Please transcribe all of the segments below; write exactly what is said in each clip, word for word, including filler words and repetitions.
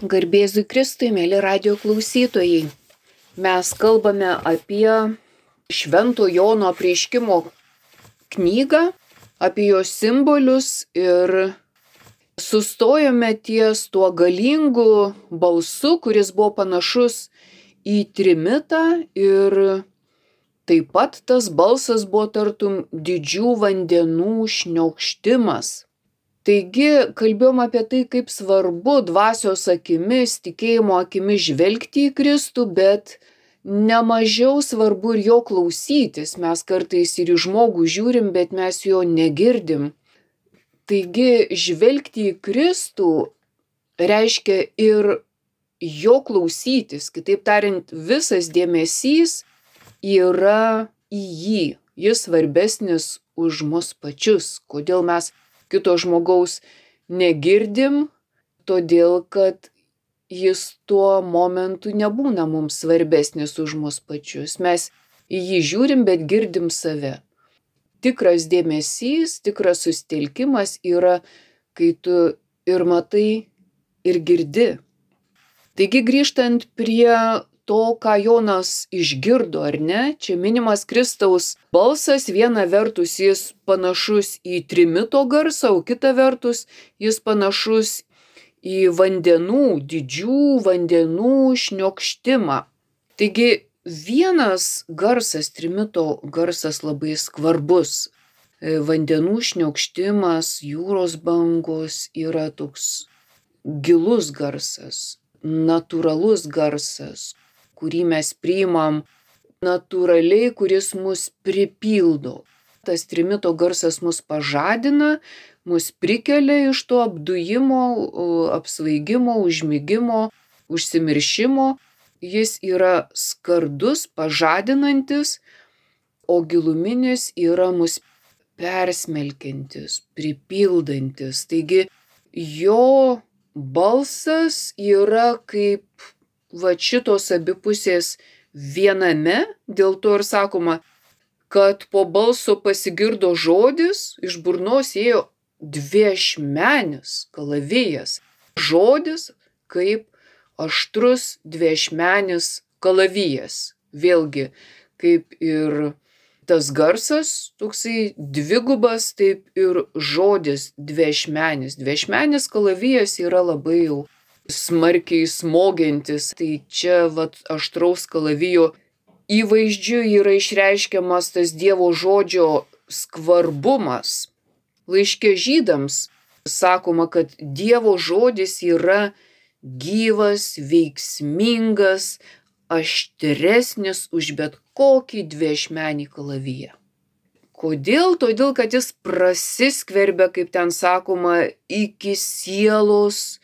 Garbėzui Kristui, mėly radijo klausytojai. Mes kalbame apie Švento Jono apreiškimo knygą, apie jos simbolius ir sustojome ties tuo galingu balsu, kuris buvo panašus į trimitą, ir taip pat tas balsas buvo tartum didžių vandenų šniokštimas. Taigi kalbėjom apie tai, kaip svarbu dvasios akimis, tikėjimo akimis žvelgti į Kristų, bet nemažiau svarbu ir jo klausytis. Mes kartais ir į žmogų žiūrim, bet mes jo negirdim. Taigi žvelgti į Kristų reiškia ir jo klausytis. Kitaip tariant, visas dėmesys yra į jį. Jis svarbesnis už mus pačius. Kodėl mes kito žmogaus negirdim? Todėl, kad jis tuo momentu nebūna mums svarbesnis už mus pačius. Mes į jį žiūrim, bet girdim save. Tikras dėmesys, tikras susitelkimas yra, kai tu ir matai, ir girdi. Taigi grįžtant prie to, ką Jonas išgirdo, ar ne? Čia minimas Kristaus balsas, viena vertus jis panašus į trimito garsą, o kita vertus jis panašus į vandenų, didžių vandenų šniokštimą. Taigi vienas garsas, trimito garsas labai skvarbus. Vandenų šniokštimas, jūros bangos yra toks gilus garsas, natūralus garsas, kurį mes priimam natūraliai, kuris mus pripildo. Tas trimito garsas mus pažadina, mus prikelia iš to apdujimo, apsvaigimo, užmigimo, užsimiršimo. Jis yra skardus, pažadinantis, o giluminis yra mus persmelkiantis, pripildantis. Taigi jo balsas yra kaip va šitos abipusės viename, dėl to ir sakoma, kad po balso pasigirdo žodis, iš burnos ėjo dviašmenis kalavijas. Žodis kaip aštrus dviašmenis kalavijas. Vėlgi, kaip ir tas garsas, toksai dvigubas, taip ir žodis dviašmenis. Dviašmenis kalavijas yra labai jau smarkiai smogiantis. Tai čia vat aštraus kalavijo įvaizdžiu yra išreiškiamas tas Dievo žodžio skvarbumas. Laiške Žydams sakoma, kad Dievo žodis yra gyvas, veiksmingas, aštresnis už bet kokį dviašmenį kalaviją. Kodėl? Todėl, kad jis prasiskverbia, kaip ten sakoma, iki sielos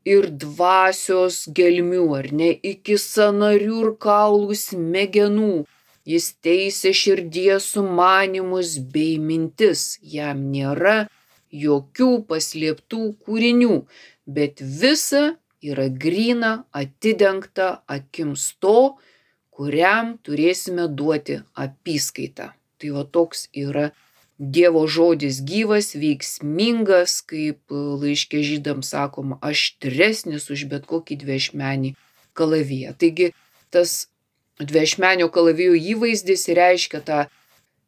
ir dvasios gelmių, ar ne, iki sąnarių ir kaulų smegenų. Jis teisia širdies sumanymus bei mintis. Jam nėra jokių paslėptų kūrinių, bet visa yra gryna, atidengta akims to, kuriam turėsime duoti apyskaitą. Tai va toks yra Dievo žodis gyvas, veiksmingas, kaip laiške Žydams sakoma, aštresnis už bet kokį dviašmenį kalaviją. Taigi tas dviašmenio kalavijo įvaizdis reiškia tą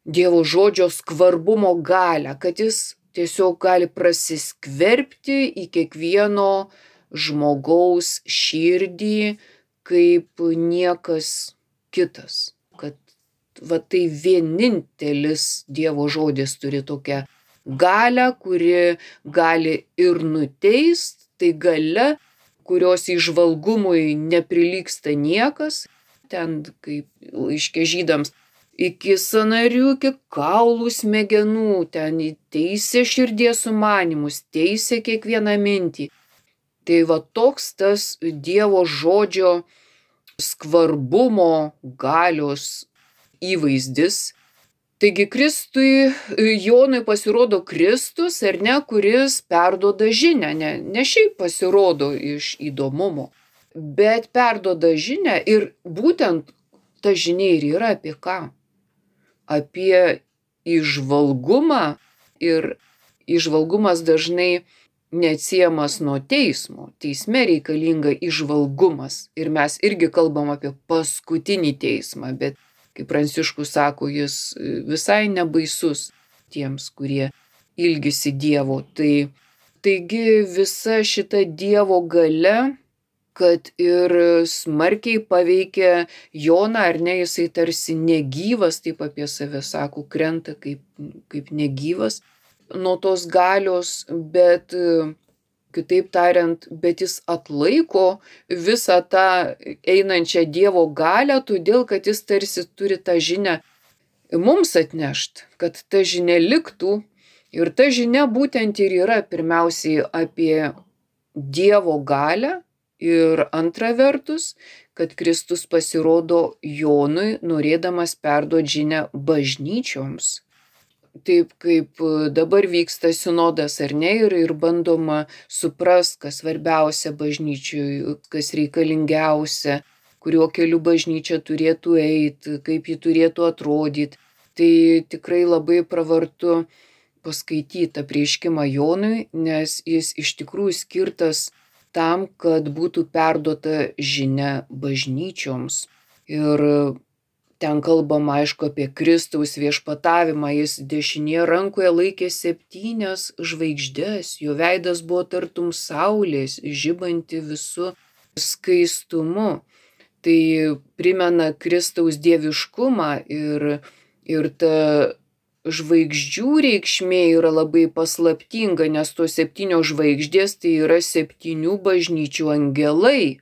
Dievo žodžio skvarbumo galią, kad jis tiesiog gali prasiskverbti į kiekvieno žmogaus širdį kaip niekas kitas. Kad va tai vienintelis Dievo žodis turi tokią galią, kuri gali ir nuteist, tai galia, kurios įžvalgumui neprilygsta niekas. Ten kaip laiške Žydams iki sąnarių, iki kaulų smegenų, ten teisia širdies sumanymus, teisia kiekvieną mintį. Tai va toks tas Dievo žodžio skvarbumo galios įvaizdis. Taigi Kristui, Jonui pasirodo Kristus, ar ne, kuris perduoda žinią, ne, ne šiaip pasirodo iš įdomumo, bet perduoda žinią, ir būtent ta žinia ir yra apie ką? Apie įžvalgumą, ir įžvalgumas dažnai neatsiejamas nuo teismo. teisme reikalinga įžvalgumas. Ir mes irgi kalbam apie paskutinį teismą, bet kaip Pranciškus sako, jis visai nebaisus tiems, kurie ilgisi Dievo. Tai, taigi visa šita Dievo galia, kad ir smarkiai paveikia Joną, ar ne, jisai tarsi negyvas, taip apie save sako, krenta kaip, kaip negyvas nuo tos galios, bet kitaip tariant, bet jis atlaiko visą tą einančią Dievo galią, todėl kad jis tarsi turi tą žinią mums atnešt, kad ta žinia liktų. Ir ta žinia būtent ir yra pirmiausiai apie Dievo galią ir antra vertus, kad Kristus pasirodo Jonui, norėdamas perduoti žinią bažnyčioms. Taip kaip dabar vyksta sinodas, ar ne, ir, ir bandoma suprast, kas svarbiausia bažnyčiui, kas reikalingiausia, kuriuo keliu bažnyčia turėtų eiti, kaip ji turėtų atrodyti. Tai tikrai labai pravartu paskaityti apreiškimą Jonui, nes jis iš tikrųjų skirtas tam, kad būtų perduota žinia bažnyčioms. Ir ten kalbama, aišku, apie Kristaus viešpatavimą. Jis dešinėje rankoje laikė septynias žvaigždes, jo veidas buvo tartum saulės, žibanti visų skaistumu. Tai primena Kristaus dieviškumą ir, ir ta žvaigždžių reikšmė yra labai paslaptinga, nes tos septynios žvaigždės tai yra septynių bažnyčių angelai.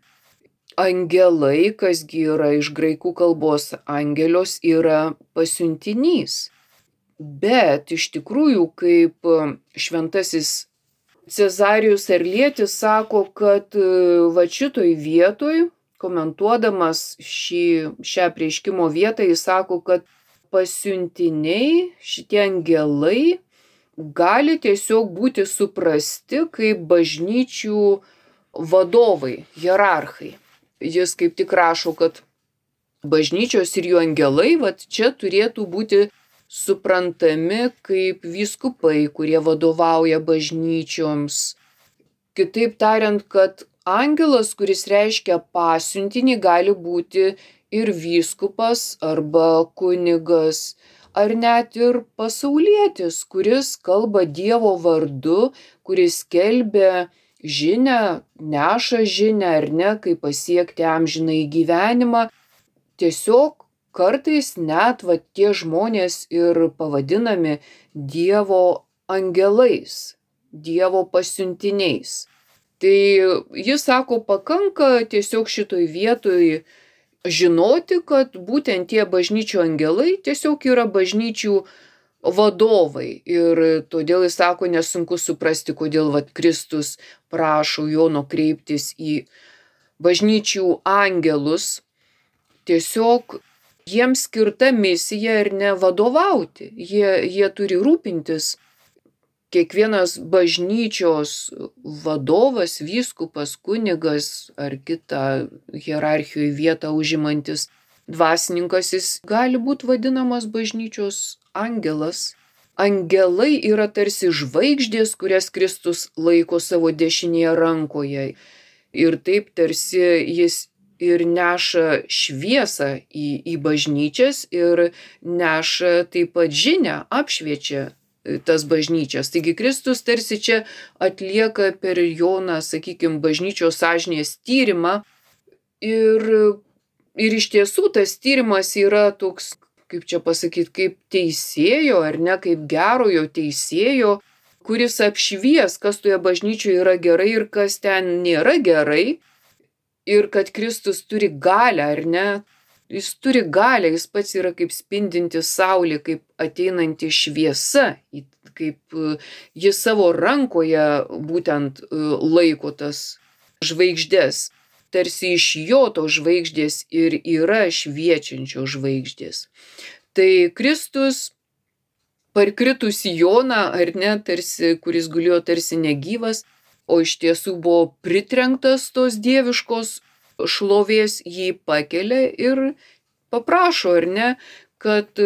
Angelai, kasgi yra iš graikų kalbos angelios, yra pasiuntinys. Bet iš tikrųjų, kaip šventasis Cezarijus Arlietis sako, kad va šitoj vietoj, komentuodamas šį, šią apreiškimo vietą, jis sako, kad pasiuntiniai, šitie angelai, gali tiesiog būti suprasti kaip bažnyčių vadovai, hierarchai. Jis kaip tik rašo, kad bažnyčios ir jų angelai, vat čia turėtų būti suprantami kaip vyskupai, kurie vadovauja bažnyčioms. Kitaip tariant, kad angelas, kuris reiškia pasiuntinį, gali būti ir vyskupas arba kunigas, ar net ir pasaulietis, kuris kalba Dievo vardu, kuris skelbia žinią, neša žinią, ar ne, kaip pasiekti amžinąjį gyvenimą. Tiesiog kartais net va tie žmonės ir pavadinami Dievo angelais, Dievo pasiuntiniais. Tai jis sako, pakanka tiesiog šitoj vietoj žinoti, kad būtent tie bažnyčių angelai tiesiog yra bažnyčių vadovai. Ir todėl jis sako, nesunku suprasti, kodėl vat Kristus prašo Jono kreiptis į bažnyčių angelus. Tiesiog jiems skirta misija ir ne vadovauti. Jie, jie turi rūpintis. Kiekvienas bažnyčios vadovas, vyskupas, kunigas ar kitą hierarchijoje vietą užimantis dvasininkas, jis gali būti vadinamas bažnyčios angelas. Angelai yra tarsi žvaigždės, kurias Kristus laiko savo dešinėje rankoje. Ir taip tarsi jis ir neša šviesą į, į bažnyčias ir neša taip pat žinią, apšviečia tas bažnyčias. Taigi Kristus tarsi čia atlieka per Joną, sakykime, bažnyčios sąžinės tyrimą. Ir, ir iš tiesų tas tyrimas yra toks, kaip čia pasakyti, kaip teisėjo, ar ne, kaip gerojo teisėjo, kuris apšvies, kas toje bažnyčioje yra gerai ir kas ten nėra gerai. Ir kad Kristus turi galią, ar ne? Jis turi galią, jis pats yra kaip spindinti saulė, kaip ateinanti šviesa, kaip jis savo rankoje būtent laiko tas žvaigždės. Tarsi iš jo to žvaigždės ir yra šviečiančio žvaigždės. Tai Kristus parkritus į Joną, ar ne, tarsi, kuris gulėjo tarsi negyvas, o iš tiesų buvo pritrenktas tos dieviškos šlovės, jį pakelia ir paprašo, ar ne, kad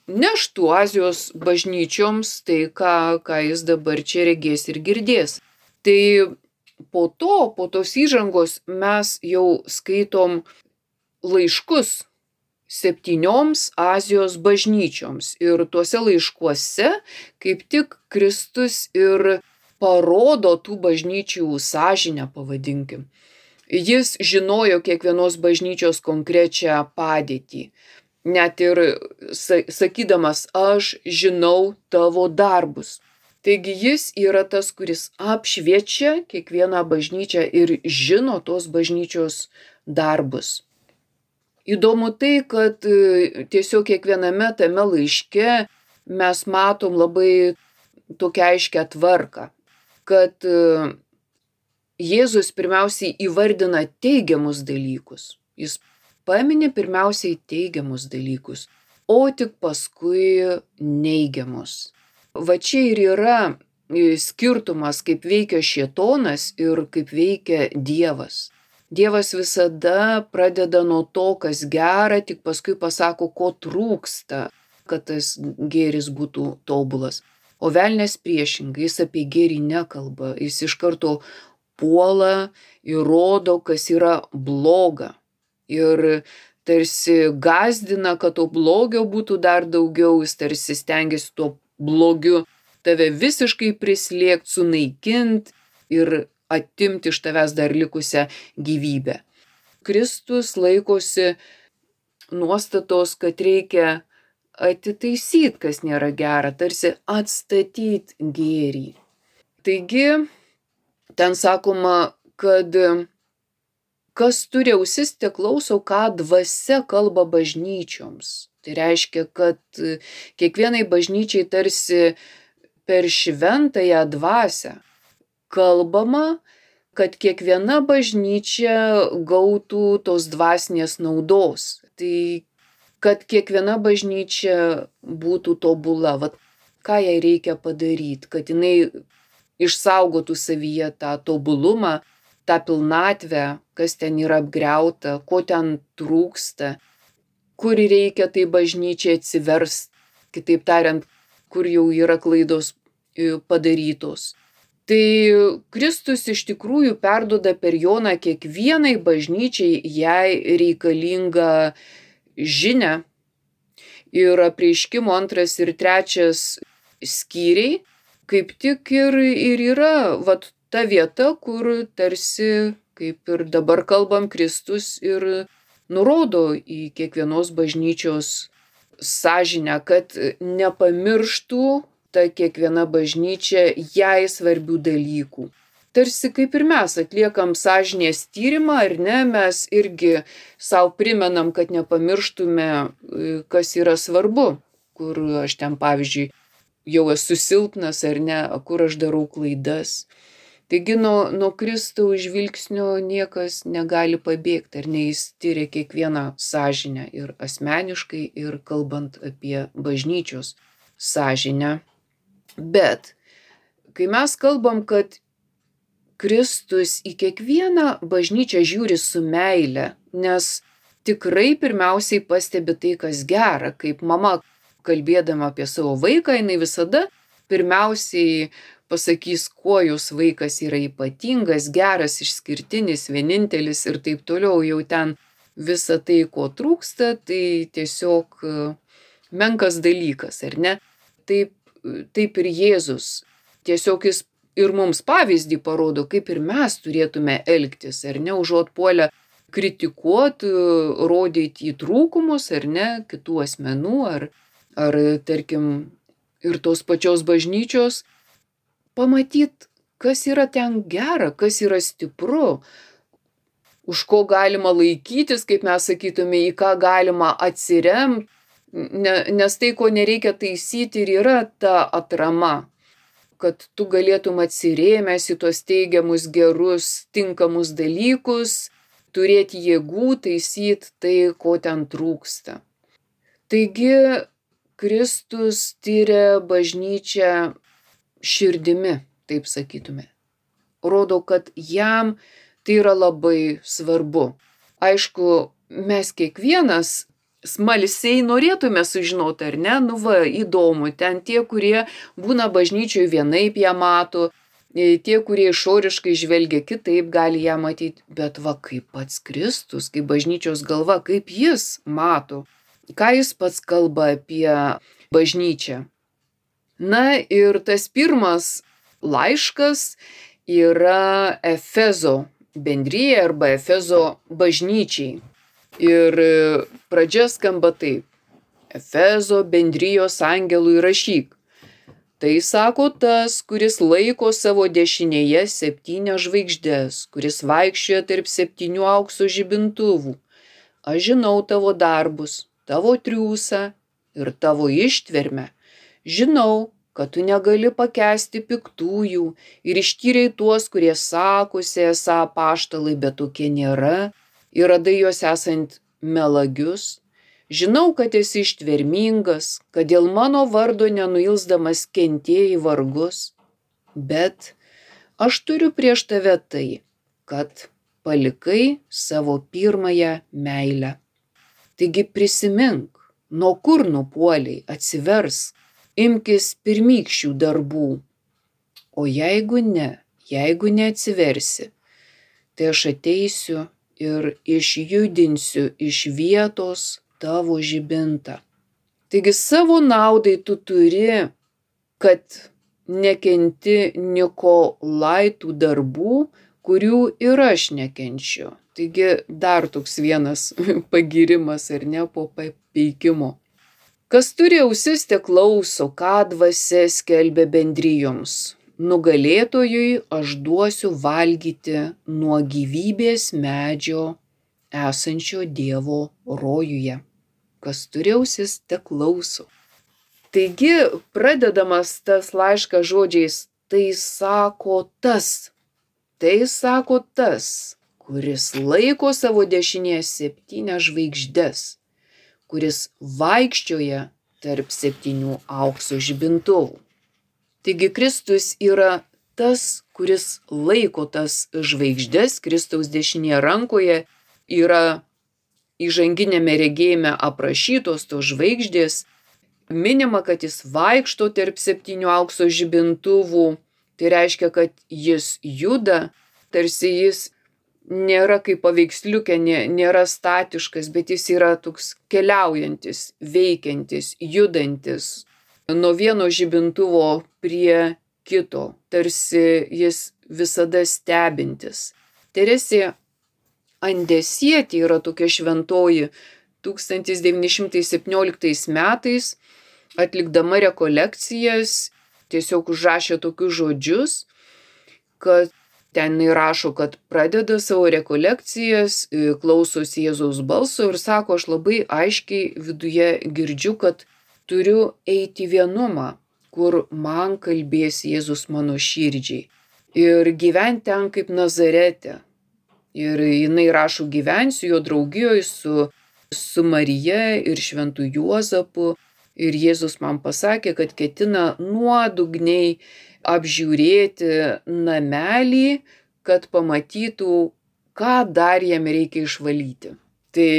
neštų Azijos bažnyčioms tai, ką, ką jis dabar čia regės ir girdės. Tai po to, po tos įžangos mes jau skaitom laiškus septynioms Azijos bažnyčioms. Ir tuose laiškuose kaip tik Kristus ir parodo tų bažnyčių sąžinę, pavadinkim. Jis žinojo kiekvienos bažnyčios konkrečią padėtį. Net ir sakydamas, aš žinau tavo darbus. Taigi jis yra tas, kuris apšviečia kiekvieną bažnyčią ir žino tos bažnyčios darbus. Įdomu tai, kad tiesiog kiekviename tame laiške mes matom labai tokią aiškę tvarką, kad Jėzus pirmiausiai įvardina teigiamus dalykus. Jis pamini pirmiausiai teigiamus dalykus, o tik paskui neigiamus. Va čia ir yra skirtumas, kaip veikia šėtonas ir kaip veikia Dievas. Dievas visada pradeda nuo to, kas gera, tik paskui pasako, ko trūksta, kad tas gėris būtų tobulas. O velnias priešingai, jis apie gėrį nekalba, jis iš karto puola ir rodo, kas yra bloga. Ir tarsi gąsdina, kad to blogio būtų dar daugiau, jis tarsi stengiasi tuo blogiu tave visiškai prislėgt, sunaikint ir atimti iš tavęs dar likusią gyvybę. Kristus laikosi nuostatos, kad reikia atitaisyti, kas nėra gera, tarsi atstatyti gėrį. Taigi, ten sakoma, kad kas turi ausis, te klauso, ką dvasia kalba bažnyčioms. Tai reiškia, kad kiekvienai bažnyčiai tarsi per šventąją dvasią kalbama, kad kiekviena bažnyčia gautų tos dvasinės naudos. Tai kad kiekviena bažnyčia būtų tobula, vat, ką jai reikia padaryti, kad jinai išsaugotų savyje tą tobulumą, tą pilnatvę, kas ten yra apgriauta, ko ten trūksta, kur reikia tai bažnyčiai atsiverst, kitaip tariant, kur jau yra klaidos padarytos. Tai Kristus iš tikrųjų perduoda per Joną kiekvienai bažnyčiai jai reikalingą žinią. Ir Apreiškimo antras ir trečias skyriai kaip tik ir, ir yra vat, ta vieta, kur tarsi, kaip ir dabar kalbam, Kristus ir nurodo į kiekvienos bažnyčios sąžinę, kad nepamirštų ta kiekviena bažnyčia jai svarbių dalykų. Tarsi kaip ir mes atliekam sąžinės tyrimą, ar ne, mes irgi savo primenam, kad nepamirštume, kas yra svarbu, kur aš ten, pavyzdžiui, jau esu silpnas ar ne, kur aš darau klaidas. Taigi nuo, nuo Kristaus žvilgsnio niekas negali pabėgti, ar ne, jis tyria kiekvieną sąžinę ir asmeniškai, ir kalbant apie bažnyčios sąžinę. Bet kai mes kalbam, kad Kristus į kiekvieną bažnyčią žiūri su meile, nes tikrai pirmiausiai pastebi tai, kas gera, kaip mama kalbėdama apie savo vaiką, jinai visada pirmiausiai pasakys, kuo jos vaikas yra ypatingas, geras, išskirtinis, vienintelis ir taip toliau. Jau ten visa tai, ko trūksta, tai tiesiog menkas dalykas, ar ne? Taip, taip ir Jėzus. Tiesiog jis ir mums pavyzdį parodo, kaip ir mes turėtume elgtis, ar ne, užuot puolę kritikuoti, rodyti į trūkumus, ar ne, kitų asmenų, ar, ar tarkim, ir tos pačios bažnyčios, pamatyti, kas yra ten gera, kas yra stipru, už ko galima laikytis, kaip mes sakytume, į ką galima atsiremti, nes tai, ko nereikia taisyti, ir yra ta atrama, kad tu galėtum atsirėmęs į tos teigiamus, gerus, tinkamus dalykus, turėti jėgų taisyti tai, ko ten trūksta. Taigi, Kristus tyria bažnyčią širdimi, taip sakytume. Rodo, kad jam tai yra labai svarbu. Aišku, mes kiekvienas smalsiai norėtume sužinoti, ar ne, nu va, įdomu, ten tie, kurie būna bažnyčioj vienaip ją mato, Tie, kurie išoriškai žvelgia kitaip, gali ją matyti, bet va kaip pats Kristus, kaip bažnyčios galva, kaip jis mato, ką jis pats kalba apie bažnyčią. Na ir tas pirmas laiškas yra Efezo bendrijai arba Efezo bažnyčiai. Ir pradžia skamba taip. Efezo bendrijos angelui rašyk. Tai sako tas, kuris laiko savo dešinėje septynias žvaigždes, kuris vaikščioja tarp septynių aukso žibintuvų. Aš žinau tavo darbus, tavo triūsą ir tavo ištvermę. Žinau, kad tu negali pakęsti piktųjų ir ištyrei tuos, kurie sakosi esą apaštalai, bet tokie nėra, ir radai juos esant melagius. Žinau, kad esi ištvermingas, kad dėl mano vardo nenuilsdamas kentėjai vargus, bet aš turiu prieš tave tai, kad palikai savo pirmąją meilę. Taigi prisimink, nuo kur nupuoliai, atsiversk, imkis pirmykščių darbų. O jeigu ne, jeigu neatsiversi, tai aš ateisiu ir išjudinsiu iš vietos tavo žibintą. Taigi savo naudai tu turi, kad nekenti Nikolaitų darbų, kurių ir aš nekenčiu. Taigi dar toks vienas pagirimas ar ne po papeikimo. Kas turi ausis, te klauso, ką dvasia skelbia bendrijoms. Nugalėtojui aš duosiu valgyti nuo gyvybės medžio esančio Dievo rojuje. Kas turi ausis, te klauso. Taigi, pradedamas tas laiškas žodžiais, tai sako tas, tai sako tas, kuris laiko savo dešinėje septynias žvaigždes, kuris vaikščioja tarp septynių aukso žibintuvų. Taigi Kristus yra tas, kuris laiko tas žvaigždes, Kristaus dešinėje rankoje yra įžanginėme regėjime aprašytos tos žvaigždės, minima, kad jis vaikšto tarp septynių aukso žibintuvų, tai reiškia, kad jis juda, tarsi jis nėra kaip paveiksliukė, nėra statiškas, bet jis yra toks keliaujantis, veikiantis, judantis nuo vieno žibintuvo prie kito, tarsi jis visada stebintis. Teresė Andesietė yra tokia šventoji tūkstantis devyni šimtai septynioliktais metais, atlikdama rekolekcijas, tiesiog užrašė tokius žodžius, kad ten įrašo, kad pradeda savo rekolekcijas, klausosi Jėzaus balso ir sako, aš labai aiškiai viduje girdžiu, kad turiu eiti vienumą, kur man kalbės Jėzus mano širdžiai. Ir gyventi ten kaip Nazarete. Ir jinai rašo, gyvensiu jo draugijoje su, su Marija ir šventu Juozapu. Ir Jėzus man pasakė, kad ketina nuodugniai apžiūrėti namelį, kad pamatytų, ką dar jam reikia išvalyti. Tai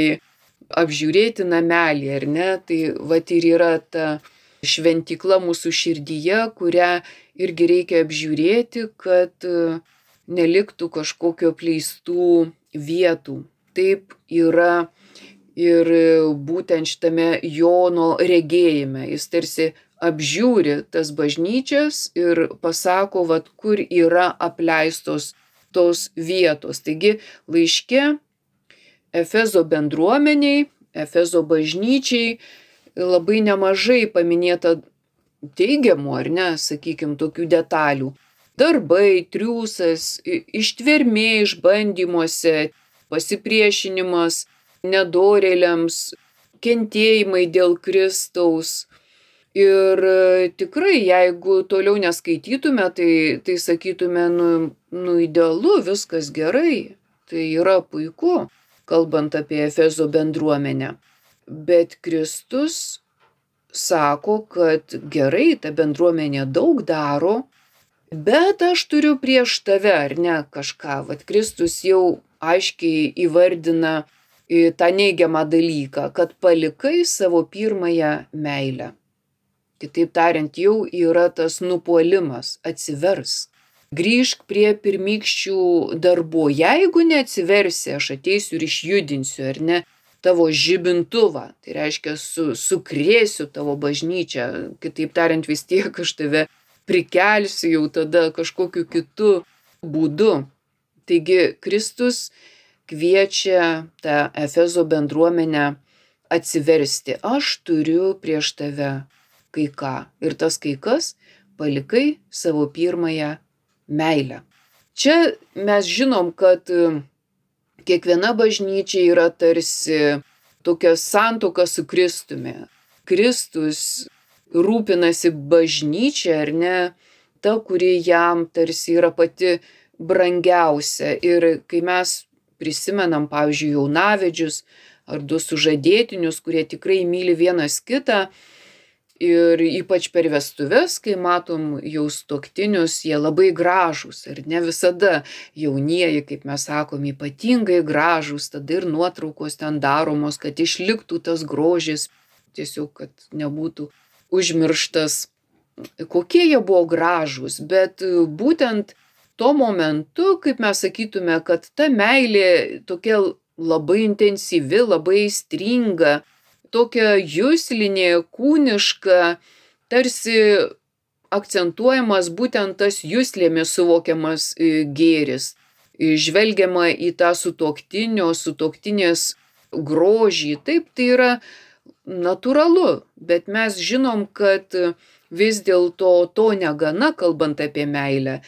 apžiūrėti namelį, ar ne? Tai vat ir yra ta šventykla mūsų širdyje, kurią irgi reikia apžiūrėti, kad neliktų kažkokio apleistų vietų. Taip yra ir būtent šitame Jono regėjime. Jis tarsi apžiūri tas bažnyčias ir pasako, vat, kur yra apleistos tos vietos. Taigi laiške Efezo bendruomeniai, Efezo bažnyčiai labai nemažai paminėta teigiamų, ar ne, sakykime, tokių detalių. Darbai, triūsas, ištvermė išbandymuose, pasipriešinimas nedorėliams, kentėjimai dėl Kristaus. Ir tikrai, jeigu toliau neskaitytume, tai, tai sakytume, nu, nu idealu, viskas gerai, tai yra puiku, kalbant apie Efezo bendruomenę. Bet Kristus sako, kad gerai, ta bendruomenė daug daro, bet aš turiu prieš tave, ar ne, kažką. Vat Kristus jau aiškiai įvardina tą neigiamą dalyką, kad palikai savo pirmąją meilę. Kitaip tariant, jau yra tas nupuolimas, atsiversk. grįžk prie pirmykščių darbų. Jeigu neatsiversi, aš ateisiu ir išjudinsiu, ar ne, tavo žibintuvą. Tai reiškia, su, sukrėsiu tavo bažnyčią. Kitaip tariant, vis tiek aš tave prikelsiu jau tada kažkokiu kitu būdu. Taigi Kristus kviečia tą Efezo bendruomenę atsiversti. Aš turiu prieš tave kai ką. Ir tas kai kas palikai savo pirmąją meilę. Čia mes žinom, kad kiekviena bažnyčia yra tarsi tokia santuoka su Kristumi. Kristus rūpinasi bažnyčia, ar ne, ta, kuri jam tarsi yra pati brangiausia. Ir kai mes prisimenam, pavyzdžiui, jaunavedžius ar du sužadėtinius, kurie tikrai myli vienas kitą, ir ypač per vestuves, kai matom jau sutuoktinius, jie labai gražūs ir ne visada jaunieji, kaip mes sakom, ypatingai gražūs, tada ir nuotraukos ten daromos, kad išliktų tas grožis, tiesiog, kad nebūtų užmirštas, kokie jie buvo gražūs. Bet būtent tuo momentu, kaip mes sakytume, kad ta meilė tokia labai intensyvi, labai aistringa, tokia juslinė, kūniška, tarsi akcentuojamas būtent tas juslėmis suvokiamas gėris. Žvelgiama į tą sutuoktinio, sutuoktinės grožį. Taip, tai yra natūralu, bet mes žinom, kad vis dėlto to negana, kalbant apie meilę.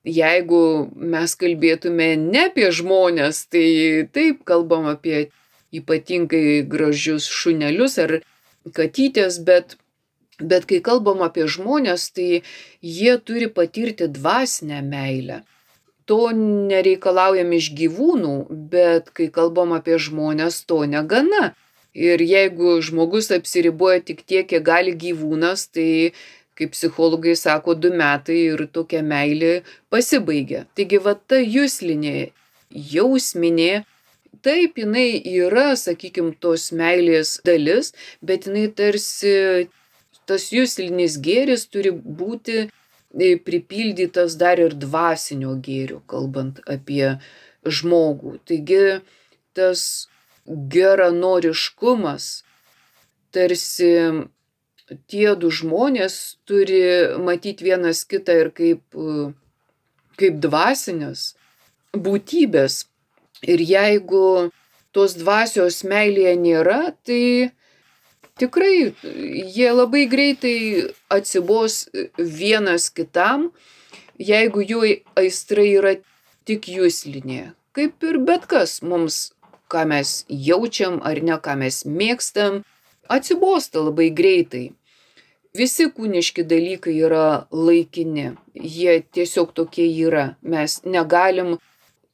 Jeigu mes kalbėtume ne apie žmones, tai taip kalbam apie ypatingai gražius šunelius ar katytės, bet, bet kai kalbam apie žmonės, tai jie turi patirti dvasinę meilę. To nereikalaujam iš gyvūnų, bet kai kalbam apie žmonės, to negana. Ir jeigu žmogus apsiriboja tik tiek, kiek gali gyvūnas, tai, kaip psichologai sako, du metai ir tokia meilė pasibaigia. Taigi va ta juslinė, jausminė, taip, jinai yra, sakykim, tos meilės dalis, bet jinai tarsi, tas juslinis gėris turi būti pripildytas dar ir dvasinio gėrio, kalbant apie žmogų. Taigi tas geranoriškumas, tarsi tie du žmonės turi matyti vienas kitą ir kaip, kaip dvasinės būtybės. Ir jeigu tos dvasios meilėje nėra, tai tikrai jie labai greitai atsibos vienas kitam, jeigu jų aistra yra tik juslinė. Kaip ir bet kas mums, ką mes jaučiam ar ne, ką mes mėgstam, atsibosta labai greitai. Visi kūniški dalykai yra laikini, jie tiesiog tokie yra. Mes negalim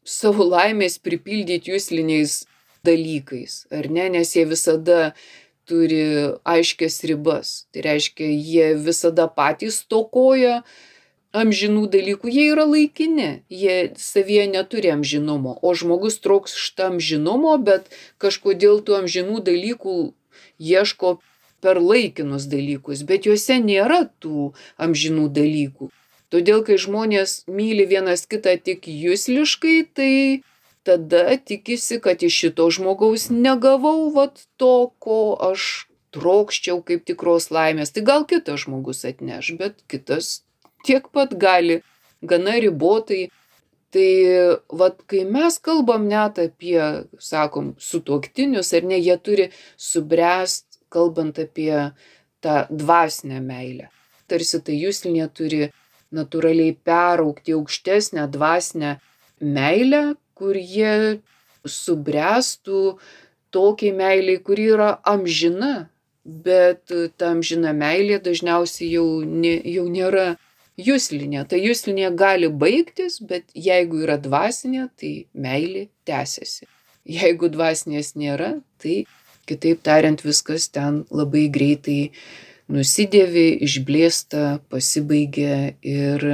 savo laimės pripildyti jusliniais dalykais, ar ne, nes jie visada turi aiškias ribas. Tai reiškia, jie visada patys stokoja amžinų dalykų, jie yra laikini, jie savyje neturi amžinumo, o žmogus trokšta amžinumo, bet kažkodėl tų amžinų dalykų ieško per laikinus dalykus, bet juose nėra tų amžinų dalykų. Todėl, kai žmonės myli vienas kitą tik jusliškai, tai tada tikisi, kad iš šito žmogaus negavau vat to, ko aš trokščiau kaip tikros laimės. Tai gal kitas žmogus atneš, bet kitas tiek pat gali, gana ribotai. Tai vat, kai mes kalbam net apie, sakom, sutuoktinius, ar ne, jie turi subręst, kalbant apie tą dvasinę meilę. Tarsi tai juslinė turi natūraliai peraugti aukštesnę dvasinę meilę, kur jie subręstų tokiai meiliai, kuri yra amžina, bet ta amžina meilė dažniausiai jau, ne, jau nėra juslinė. Ta juslinė gali baigtis, bet jeigu yra dvasinė, tai meilė tęsiasi. Jeigu dvasinės nėra, tai kitaip tariant viskas ten labai greitai nusidėvi, išblėsta, pasibaigia ir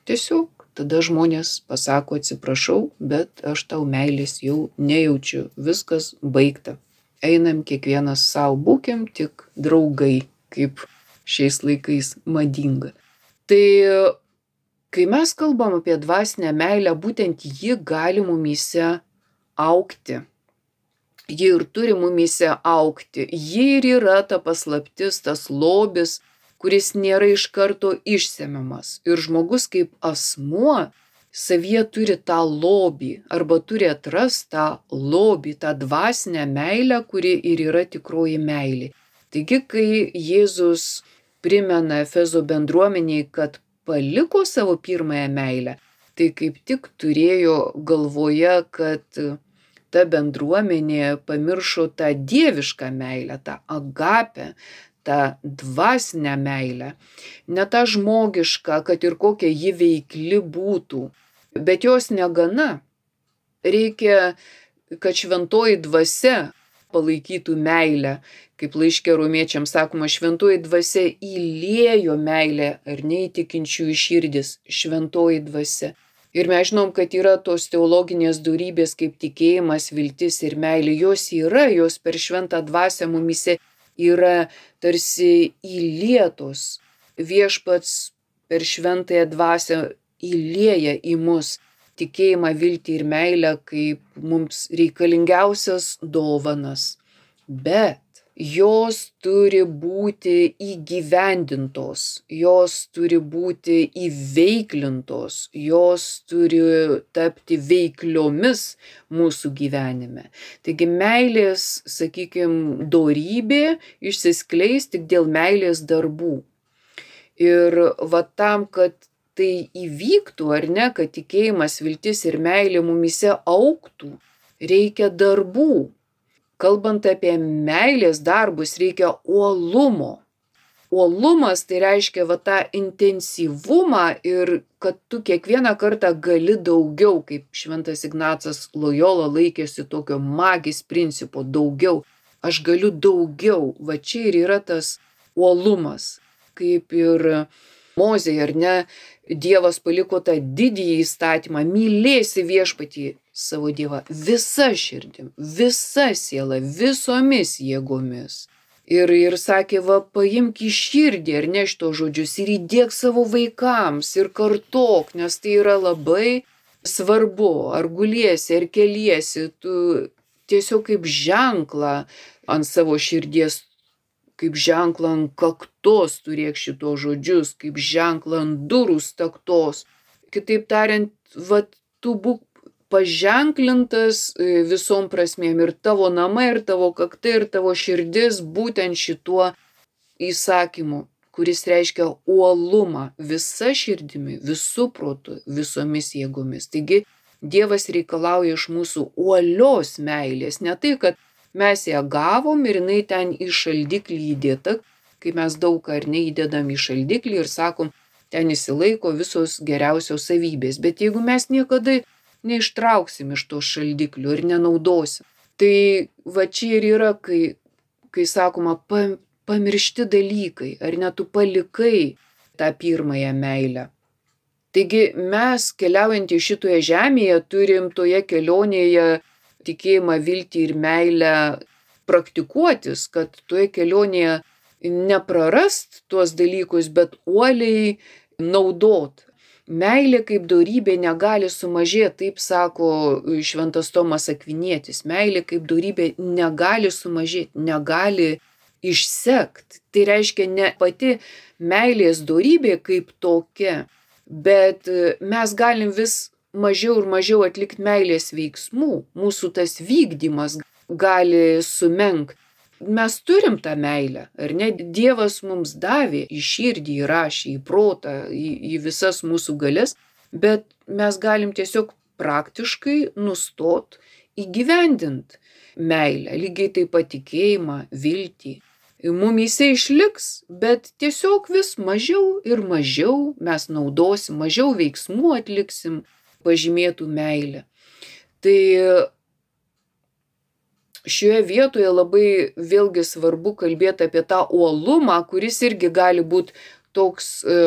tiesiog tada žmonės pasako atsiprašau, bet aš tau meilės jau nejaučiu, viskas baigta. Einam kiekvienas savo, būkim tik draugai, kaip šiais laikais madinga. Tai Kai mes kalbam apie dvasinę meilę, būtent ji gali mumyse augti. Ji ir turi mumyse augti. Ji ir yra ta paslaptis, tas lobis, kuris nėra iš karto išsemiamas. Ir žmogus kaip asmuo savyje turi tą lobį arba turi atrast tą lobį, tą dvasinę meilę, kuri ir yra tikroji meilė. Taigi, kai Jėzus primena Efezo bendruomeniai, kad paliko savo pirmąją meilę, tai kaip tik turėjo galvoje, kad ta bendruomenė pamiršo tą dievišką meilę, tą agapę, tą dvasinę meilę, ne tą žmogišką, kad ir kokia ji veikli būtų. Bet jos negana. Reikia, kad šventoji dvasia palaikytų meilę. Kaip laiške romiečiams sakoma, šventoji dvasia įliejo meilę ar neįtikinčiųjų širdis, šventoji dvasia. Ir mes žinom, kad yra tos teologinės dorybės kaip tikėjimas, viltis ir meilė. Jos yra, jos per šventą dvasią mumyse yra tarsi įlietos. Viešpats per šventąją dvasią įlieja į mus tikėjimą, viltį ir meilę kaip mums reikalingiausias dovanas. Bet jos turi būti įgyvendintos, jos turi būti įveiklintos, jos turi tapti veikliomis mūsų gyvenime. Taigi meilės, sakykime, dorybė išsiskleis tik dėl meilės darbų. Ir va tam, kad tai įvyktų, ar ne, kad tikėjimas, viltis ir meilė mumyse augtų, reikia darbų. Kalbant apie meilės darbus, reikia uolumo. Uolumas tai reiškia va tą intensyvumą ir kad tu kiekvieną kartą gali daugiau, kaip šventas Ignacas Lojola laikėsi tokio magis principo, daugiau. Aš galiu daugiau. Va čia ir yra tas uolumas. Kaip ir Mozei, ar ne, Dievas paliko tą didįjį įstatymą, mylėsi viešpatį savo Dievą visa širdim, visa siela, visomis jėgomis. Ir, ir sakė, va, paimk į širdį, ar ne, šito žodžius ir įdėk savo vaikams ir kartok, nes tai yra labai svarbu, ar guliesi, ar keliesi, tu tiesiog kaip ženklą ant savo širdies, kaip ženklą ant kaktos turėk šito žodžius, kaip ženklą ant durų staktos. Kitaip tariant, va, tu būk paženklintas visom prasmėm ir tavo namai, ir tavo kaktai, ir tavo širdis būtent šituo įsakymu, kuris reiškia uolumą visa širdimi, visų protų, visomis jėgomis. Taigi Dievas reikalauja iš mūsų uolios meilės, ne tai, kad mes ją gavom ir jinai ten į šaldiklį įdėta, kai mes daug ar neįdedam į šaldiklį ir sakom, ten įsilaiko visos geriausios savybės. Bet jeigu mes niekada neištrauksim iš to šaldiklių ir nenaudosim, tai va čia ir yra, kai, kai sakoma, pa, pamiršti dalykai, ar ne tu palikai tą pirmąją meilę. Taigi mes keliaujant į šitoje žemėje turim toje kelionėje tikėjimą, viltį ir meilę praktikuotis, kad toje kelionėje neprarast tuos dalykus, bet uoliai naudot. Meilė kaip dorybė negali sumažėti, taip sako šventas Tomas Akvinietis. Meilė kaip dorybė negali sumažėti, negali išsekt. Tai reiškia ne pati meilės dorybė kaip tokia, bet mes galim vis mažiau ir mažiau atlikti meilės veiksmų, mūsų tas vykdymas gali sumenkt. Mes turim tą meilę, ar ne? Dievas mums davė į širdį, įrašė, į protą, į, į visas mūsų galias, bet mes galim tiesiog praktiškai nustot įgyvendint meilę, lygiai taip pat tikėjimą, viltį. Mumyse išliks, bet tiesiog vis mažiau ir mažiau mes naudosim, mažiau veiksmų atliksim, pažymėtų meilę. Tai šioje vietoje labai vėlgi svarbu kalbėti apie tą uolumą, kuris irgi gali būti toks e,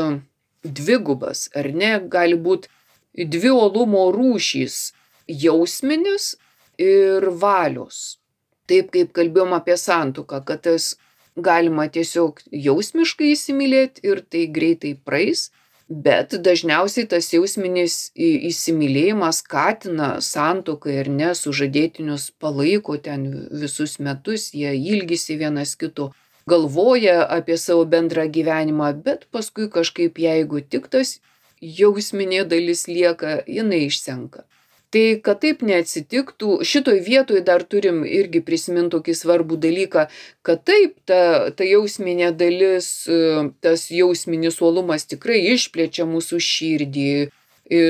dvigubas, ar ne? Gali būti dvi uolumo rūšys - jausminis ir valios. Taip kaip kalbėjom apie santuoką, kad tas galima tiesiog jausmiškai įsimylėti ir tai greitai praeis. Bet dažniausiai tas jausminis įsimylėjimas skatina santuoką ir ne, sužadėtinius palaiko ten visus metus, jie ilgisi vienas kito, galvoja apie savo bendrą gyvenimą, bet paskui kažkaip jeigu tik tas jausminė dalis lieka, jinai išsenka. Tai kad taip neatsitiktų, šitoj vietoj dar turim irgi prisiminti tokį svarbų dalyką, kad taip, ta, ta jausminė dalis, tas jausminis uolumas tikrai išplečia mūsų širdį,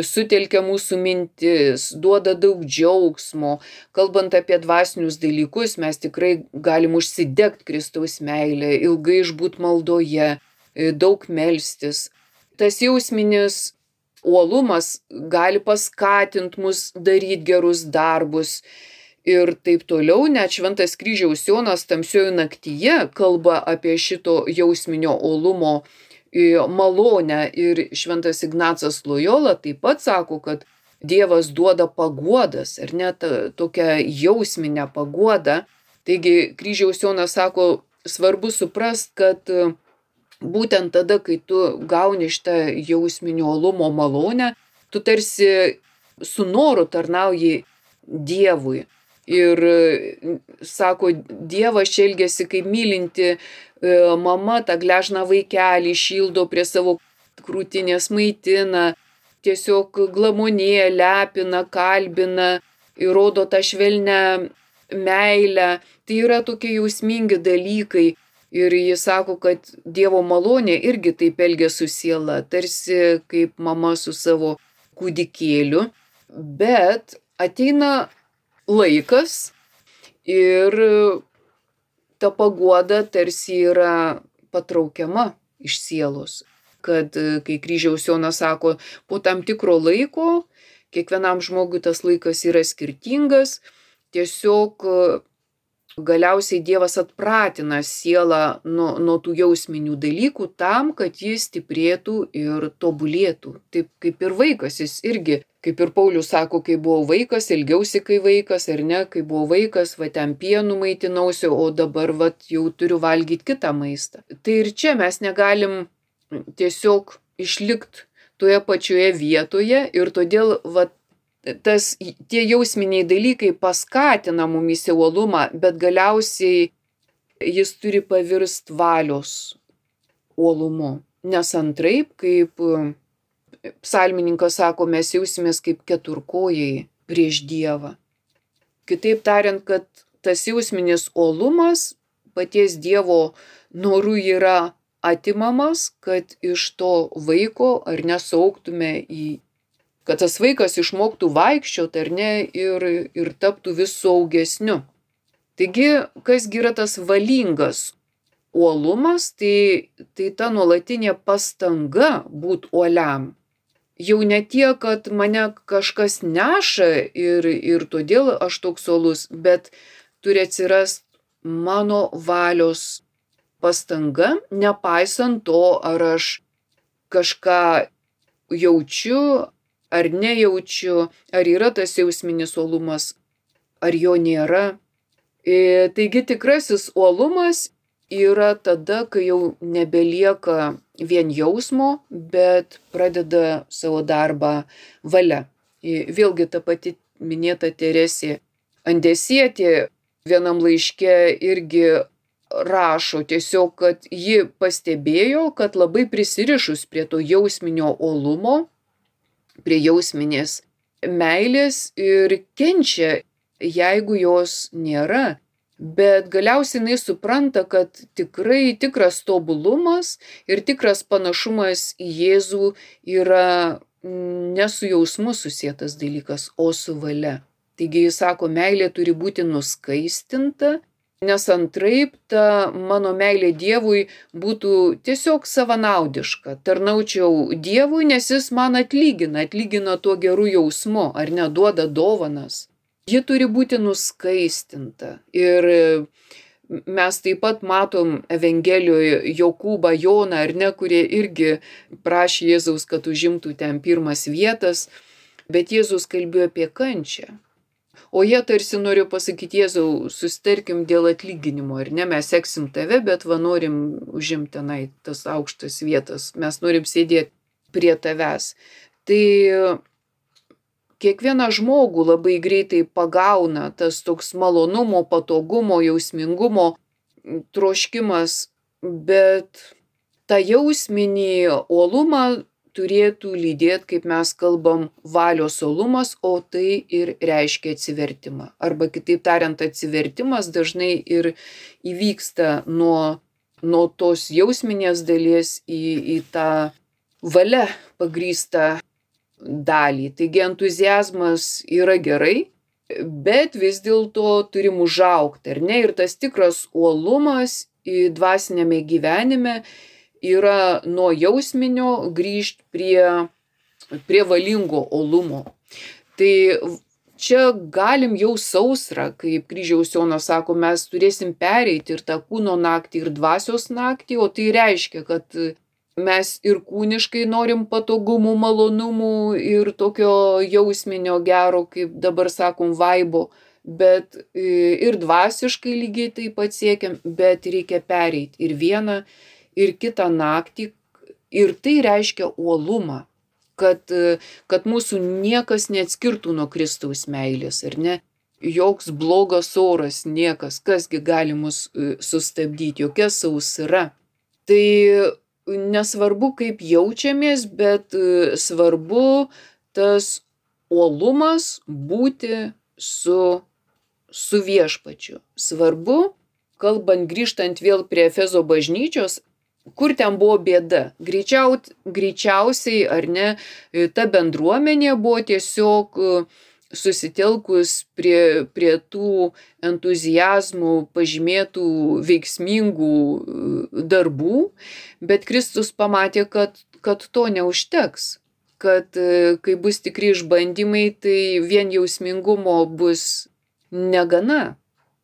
sutelkia mūsų mintis, duoda daug džiaugsmo. Kalbant apie dvasinius dalykus, mes tikrai galim užsidegti Kristaus meilę, ilgai išbūt maldoje, daug melstis. Tas jausminis uolumas gali paskatinti mus daryti gerus darbus ir taip toliau. Net Šventas Kryžiaus Jonas tamsioje naktyje kalba apie šito jausminio uolumo malonę ir Šventas Ignacas Lojola taip pat sako, kad Dievas duoda paguodas, ar net tokią jausminę paguodą. Taigi Kryžiaus Jonas sako, svarbu suprast, kad būtent tada, kai tu gauni šitą jausminio uolumo malonę, tu tarsi su noru tarnauji Dievui. Ir sako, Dievas čia elgiasi kaip mylinti mama, tą gležną vaikelį šildo prie savo krūtinės, maitina, tiesiog glamonėja, lepina, kalbina, įrodo tą švelnią meilę. Tai yra tokie jausmingi dalykai. Ir jis sako, kad Dievo malonė irgi taip elgia su siela, tarsi kaip mama su savo kūdikėliu. Bet ateina laikas ir ta paguoda tarsi yra patraukiama iš sielos. Kad kai Kryžiaus Jonas sako, po tam tikro laiko, kiekvienam žmogui tas laikas yra skirtingas, tiesiog galiausiai Dievas atpratina sielą nuo, nuo tų jausminių dalykų tam, kad jis stiprėtų ir tobulėtų. Taip kaip ir vaikas, jis irgi, kaip ir Paulius sako, kai buvau vaikas, ilgiausi kai vaikas, ar ne, kai buvau vaikas, va ten pienų maitinausi, o dabar va jau turiu valgyti kitą maistą. Tai ir čia mes negalim tiesiog išlikti toje pačioje vietoje ir todėl va tas, tie jausminiai dalykai paskatina mumyse uolumą, bet galiausiai jis turi pavirsti valios uolumu. Nes antraip, kaip psalmininkas sako, mes jausimės kaip keturkojai prieš Dievą. Kitaip tariant, kad tas jausminis uolumas paties Dievo norų yra atimamas, kad iš to vaiko ar nesauktume į kad tas vaikas išmoktų vaikščioti ar ne ir, ir taptų vis saugesniu. Taigi, kasgi yra tas valingas uolumas, tai, tai ta nuolatinė pastanga būt uoliam. Jau ne tiek, kad mane kažkas neša ir, ir todėl aš toks uolus, bet turi atsirast mano valios pastanga, nepaisant to, ar aš kažką jaučiu, ar nejaučiu, ar yra tas jausminis uolumas, ar jo nėra. E, taigi tikrasis uolumas yra tada, kai jau nebelieka vien jausmo, bet pradeda savo darbą valia. E, vėlgi ta pati minėta Teresė Andesietė vienam laiške irgi rašo tiesiog, kad ji pastebėjo, kad labai prisirišus prie to jausminio uolumo, prie jausminės meilės ir kenčia, jeigu jos nėra. Bet galiausiai jinai supranta, kad tikrai tikras tobulumas ir tikras panašumas į Jėzų yra ne su jausmu susietas dalykas, o su valia. Taigi jis sako, meilė turi būti nuskaistinta, nes antraip ta mano meilė Dievui būtų tiesiog savanaudiška. Tarnaučiau Dievui, nes jis man atlygina, atlygina tuo geru jausmu, ar neduoda dovanas. Ji turi būti nuskaistinta. Ir mes taip pat matom Evangelijoje Jokūbą, Joną, ar ne, kurie irgi prašė Jėzaus, kad užimtų ten pirmas vietas, bet Jėzus kalbėjo apie kančią. O jie tarsi noriu pasakyti, Jėzau, susitarkim dėl atlyginimo, ar ne, mes seksim tave, bet va norim užimti tenai tas aukštas vietas, mes norim sėdėti prie tavęs. Tai kiekvieną žmogų labai greitai pagauna tas toks malonumo, patogumo, jausmingumo troškimas, bet tą jausminį uolumą turėtų lydėti, kaip mes kalbam, valios uolumas, o tai ir reiškia atsivertimą. Arba kitaip tariant, atsivertimas dažnai ir įvyksta nuo, nuo tos jausminės dalies į, į tą valia pagrįstą dalį. Taigi entuziazmas yra gerai, bet vis dėlto turim užaugti, ar ne? Ir tas tikras uolumas dvasinėme gyvenime yra nuo jausminio grįžti prie, prie valingo uolumo. Tai čia galim jau sausrą, kaip Kryžiaus Jonas sako, mes turėsim pereiti ir tą kūno naktį, ir dvasios naktį, o tai reiškia, kad mes ir kūniškai norim patogumų, malonumų ir tokio jausminio gero, kaip dabar sakom, vaibo, bet ir dvasiškai lygiai taip pat siekiam, bet reikia pereiti ir vieną, ir kitą naktį, ir tai reiškia uolumą, kad, kad mūsų niekas neatskirtų nuo Kristaus meilės, ar ne? Joks blogas oras, niekas, kasgi gali mus sustabdyti, jokia sausra. Tai nesvarbu, kaip jaučiamės, bet svarbu tas uolumas būti su, su viešpačiu. Svarbu, kalbant grįžtant vėl prie Efezo bažnyčios, kur ten buvo bėda. Greičiau, greičiausiai, ar ne, ta bendruomenė buvo tiesiog susitelkus prie, prie tų entuziazmų pažymėtų veiksmingų darbų, bet Kristus pamatė, kad, kad to neužteks. Kad kai bus tikri išbandymai, tai vien jausmingumo bus negana.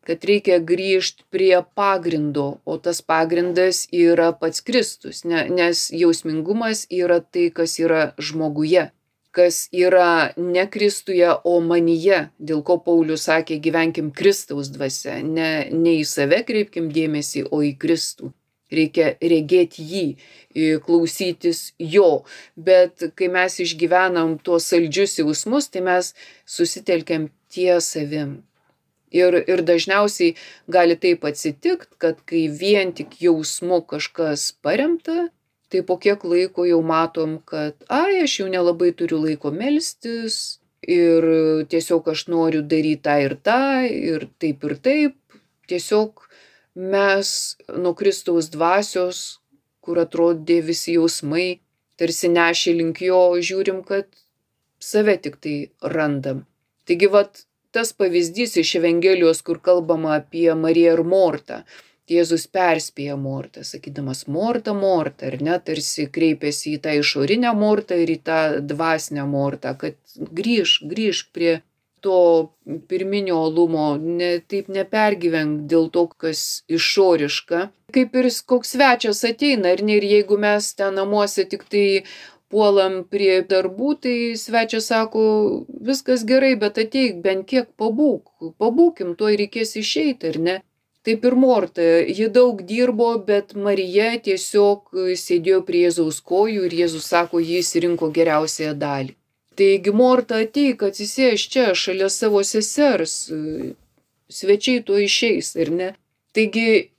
Kad reikia grįžti prie pagrindo, o tas pagrindas yra pats Kristus, ne, nes jausmingumas yra tai, kas yra žmoguje, kas yra ne Kristuje, o manyje, dėl ko Paulius sakė, gyvenkim Kristaus dvasia, ne, ne į save kreipkim dėmesį, o į Kristų. Reikia regėti jį, klausytis jo, bet kai mes išgyvenam tuos saldžius jausmus, tai mes susitelkiam ties savim. Ir, ir dažniausiai gali taip atsitikti, kad kai vien tik jausmu kažkas paremta, tai po kiek laiko jau matom, kad ai, aš jau nelabai turiu laiko melstis ir tiesiog aš noriu daryti tą ir tą ir taip ir taip. Tiesiog mes nuo Kristaus dvasios, kur atrodė visi jausmai, tarsi nešė link jo, žiūrim, kad save tik tai randam. Taigi, vat, tas pavyzdys iš Evangelijos, kur kalbama apie Mariją ir Mortą. Jėzus perspėja Mortą, sakydamas, Morta, Morta, ar ne, tarsi kreipėsi į tą išorinę Mortą ir į tą dvasinę Mortą, kad grįž, grįž prie to pirminio uolumo, ne, taip nepergyvenk dėl to, kas išoriška. Kaip ir koks svečias ateina, ar ne, ir jeigu mes ten namuose tik tai puolam prie darbų, tai svečias sako, viskas gerai, bet ateik bent kiek pabūk, pabūkim, tuoj reikės išeiti, ar ne? Taip ir Morta, ji daug dirbo, bet Marija tiesiog sėdėjo prie Jėzaus kojų ir Jėzus sako, jis rinko geriausiąją dalį. Taigi Morta, ateik, atsisėsk čia, šalia savo sesers, svečiai tuoj išeis, ar ne? Taigi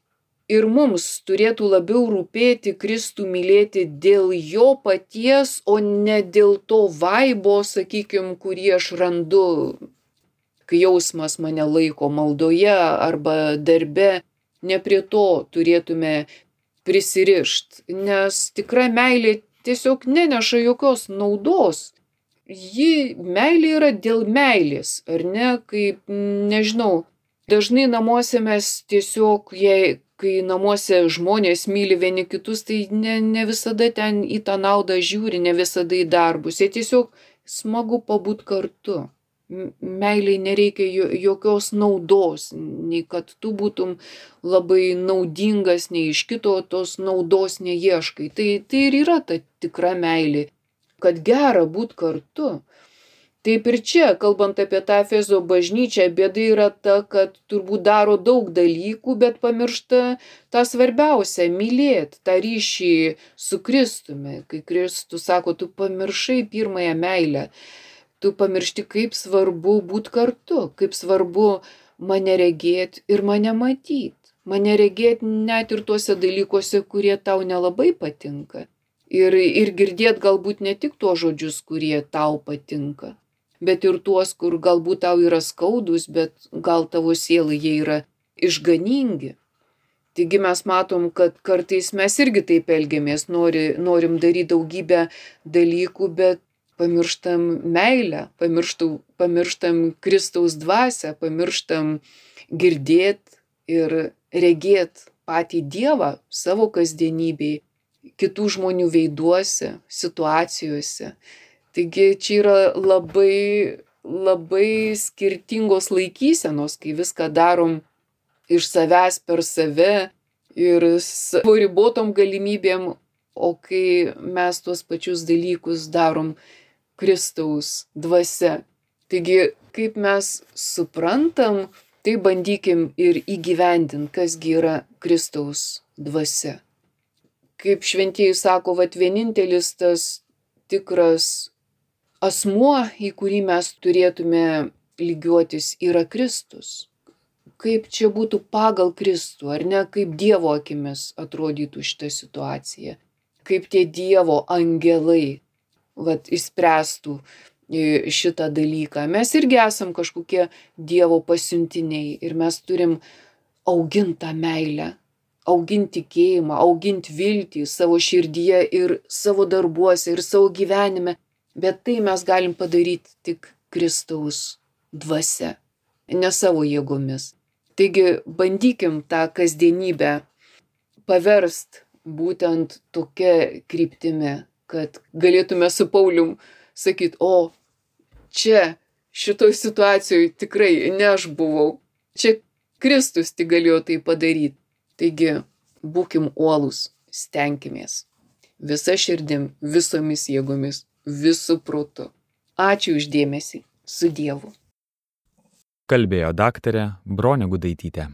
ir mums turėtų labiau rūpėti Kristų mylėti dėl jo paties, o ne dėl to vaibo, sakykim, kurį aš randu, kai jausmas mane laiko maldoje arba darbe. Ne prie to turėtume prisirišt, nes tikra meilė tiesiog neneša jokios naudos. Ji meilė yra dėl meilės, ar ne, kaip, nežinau, dažnai namuose mes tiesiog, jei kai namuose žmonės myli vieni kitus, tai ne, ne visada ten į tą naudą žiūri, ne visada į darbus. Jie tiesiog smagu pabūt kartu. Meiliai nereikia jokios naudos, nei kad tu būtum labai naudingas, nei iš kito tos naudos neieškai. Tai, tai ir yra ta tikra meilė, kad gera būt kartu. Taip ir čia, kalbant apie tą Efezo bažnyčią, bėda yra ta, kad turbūt daro daug dalykų, bet pamiršta tą svarbiausią - mylėt, tą ryšį su Kristumi. Kai Kristus sako, tu pamiršai pirmąją meilę, tu pamiršti, kaip svarbu būti kartu, kaip svarbu mane regėti ir mane matyti. Mane regėti net ir tuose dalykuose, kurie tau nelabai patinka. Ir, ir girdėti galbūt ne tik tuos žodžius, kurie tau patinka, bet ir tuos, kur galbūt tau yra skaudus, bet gal tavo sielai jie yra išganingi. Taigi mes matom, kad kartais mes irgi taip elgiamės, nori, norim daryti daugybę dalykų, bet pamirštam meilę, pamirštam, pamirštam Kristaus dvasią, pamirštam girdėt ir regėt patį Dievą savo kasdienybėj, kitų žmonių veiduose, situacijose. Taigi čia yra labai, labai skirtingos laikysenos, kai viską darom iš savęs per save ir savo ribotom galimybėm, o kai mes tuos pačius dalykus darom Kristaus dvasia. Taigi, kaip mes suprantam, tai bandykim ir įgyvendint, kasgi yra Kristaus dvasia. Kaip šventieji sako, vat vienintelis tas tikras asmuo, į kurį mes turėtume lygiuotis, yra Kristus. Kaip čia būtų pagal Kristų, ar ne, kaip Dievo akimis atrodytų šitą situaciją. Kaip tie Dievo angelai vat, išspręstų šitą dalyką. Mes irgi esam kažkokie Dievo pasiuntiniai ir mes turim auginti tą meilę, auginti tikėjimą, auginti viltį savo širdyje ir savo darbuose ir savo gyvenime, bet tai mes galim padaryti tik Kristaus dvasia, ne savo jėgomis. Taigi bandykim tą kasdienybę paverst būtent tokia kryptimi, kad galėtume su Paulium sakyti, o čia šitoj situacijoje tikrai ne aš buvau, čia Kristus tik galėjo tai padaryti. Taigi būkim uolūs, stenkimės visa širdim, visomis jėgomis, visu protu. Ačiū už dėmesį, su Dievu. Kalbėjo daktarė Bronė Gudaitytė.